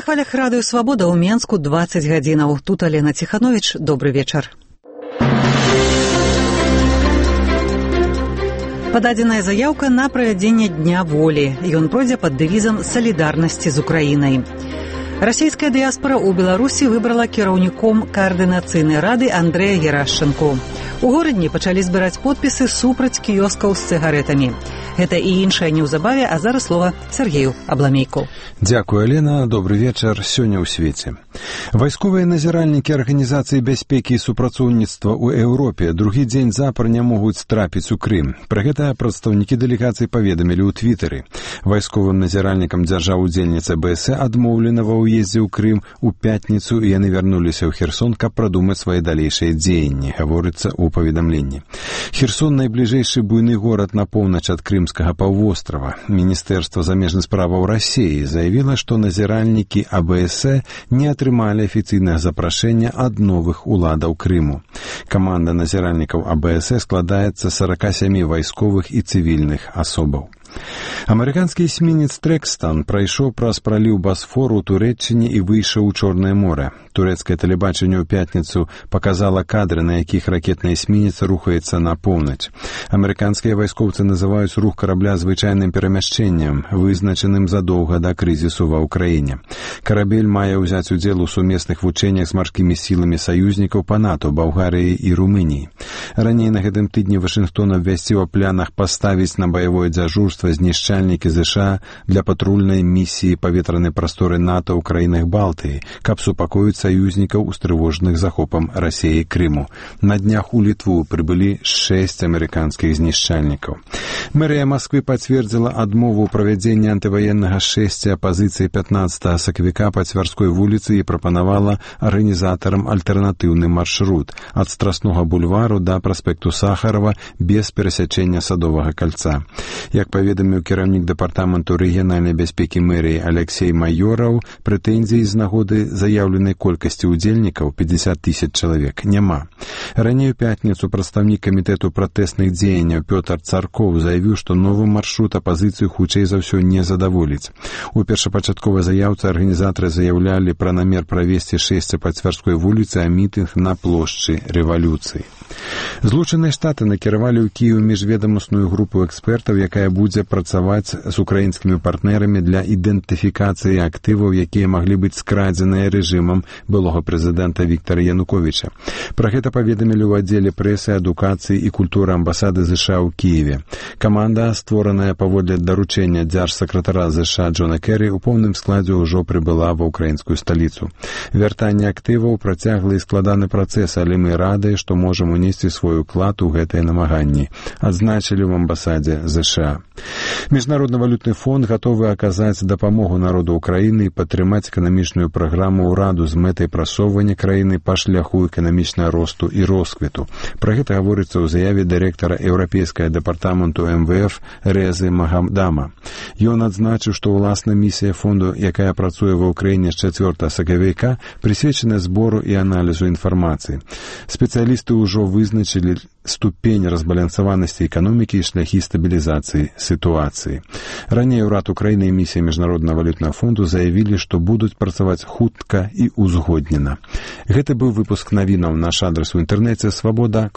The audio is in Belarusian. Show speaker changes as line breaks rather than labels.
хвалях радыё «Свабода» ў Менску 20 гадзінаў. Тут Алена Ціхановіч. Добры вечар. Пададзеная заяўка на правядзенне Дня волі. Ён пройдзе пад дэвізам салідарнасці з Украінай. Расійская дыяспара ў Беларусі выбрала кіраўніком каардынацыйнай рады Андрэя Герашчэнку. У горадні пачалі збіраць подпісы супраць кіёскаў з цыгарэтамі. Гэта і іншае неўзабаве, а зараз слова Сергею Абламейку.
Дзякуй, Алена. Добры вечар. Сёння ў свеце. Вайсковыя назіральнікі Арганізацыі бяспекі і супрацоўніцтва ў Еўропе другі дзень запар не могуць трапіць у Крым. Пра гэта прадстаўнікі дэлегацыі паведамілі ў Твітары. Вайсковым назіральнікам дзяржаў-удзельніцы АБС адмоўлена ва ўездзе ў Крым у пятніцу, і яны вярнуліся ў Херсон, каб прадумаць свае далейшыя дзеянні, гаворыцца ў паведамленні. Херсон — найбліжэйшы буйны горад на поўнач ад Крымскага паўвострава. Міністэрства замежных справаў Расіі заявіла, што назіральнікі АБС не атрымалі афіцыйнага запрашэння ад новых уладаў Крыму. Каманда назіральнікаў АБС складаецца з 47 вайсковых і цывільных асобаў. Амерыканскі эсмінец «Трэкстан» прайшоў праз праліў Басфору ў Турэччыне і выйшаў у Чорнае море. Турэцкае тэлебачанне ў пятніцу паказала кадры, на якіх ракетны эсмінец рухаецца на поўнач. Амерыканскія вайскоўцы называюць рух карабля звычайным перамяшчэннем, вызначаным задоўга да крызісу ва ўкраіне. Карабель мае ўзяць удзел у сумесных вучэннях з марскімі сіламі саюзнікаў па НАТО, Балгарыі і Румыніі. Раней на гэтым тыдні Вашынгтон абвясціў о планах паставіць на баявое дзяжурства знішчальнікі ЗША для патрульнай місіі паветранай прасторы НАТО ў краінах Балтыі, каб супакоіць саюзнікаў, устрывожаных захопам Расіі Крыму. На днях у Літву прыбылі 6 амерыканскіх знішчальнікаў. Мэрыя Масквы пацвердзіла адмову правядзення антываеннага шэсця апазіцыі 15 сакавіка па Цвярской вуліцы і прапанавала арганізатарам альтэрнатыўны маршрут ад Страснога бульвару да праспекту Сахарова без перасячэння Садовага кальца. Як паведаміў кіраўнік дэпартаменту рэгіянальнай бяспекі мэрыі Алексей Майораў, прэтэнзій з нагоды заяўленай колькасці удзельнікаў 50 000 чалавек няма. Раней у пятніцу прадстаўнік камітэту пратэсных дзеянняў Пётр Царкоў заявіў, што новы маршрут апазіцыю хутчэй за ўсё не задаволіць. У першапачатковай заяўцы арганізатары заяўлялі пра намер правесці шэсце па Цвярской вуліцы, а мітынг на плошчы Рэвалюцыі. Злучаныя Штаты накіравалі ў Кіеў міжведамасную групу экспертаў, якая будзе працаваць з украінскімі партнерамі для ідэнтыфікацыі актываў, якія маглі быць скрадзеныя рэжымам былога прэзідэнта Віктара Януковіча. Пра гэта паведамілі ў аддзеле прэсы, адукацыі і культуры амбасады ЗША ў Кіеве. Каманда, створаная паводле даручэння дзяржсакратара ЗША Джона Керрі, у поўным складзе ўжо прыбыла ва ўкраінскую сталіцу. Вяртанне актываў працяглы і складаны працэс, але мы радыя, што можам унесці свой уклад у гэтыя намаганні, адзначылі ў амбасадзе ЗША. Міжнародны валютны фонд гатовы аказаць дапамогу народу Украіны і падтрымаць эканамічную праграму ўраду з мэтай прасоўвання краіны па шляху эканамічнага росту і росквіту. Пра гэта гаворыцца ў заяве дырэктара Еўрапейскага дэпартаменту МВФ Резы Магамдама. Ён адзначыў, што ўласна місія фонду, якая працуе ва ўкраіне з 4 сакавіка, прысвечана збору і аналізу інфармацыі. Спецыялісты ўжо вызначылі ступень разбалансаванасці эканомікі і шляхі стабілізацыі сітуацыі. Раней урад Украіны і місія Міжнароднага валютнага фонду заявілі, што будуць працаваць хутка і узгоднена. Гэта быў выпуск навінаў. Наш адрас у інтэрнэце свабода.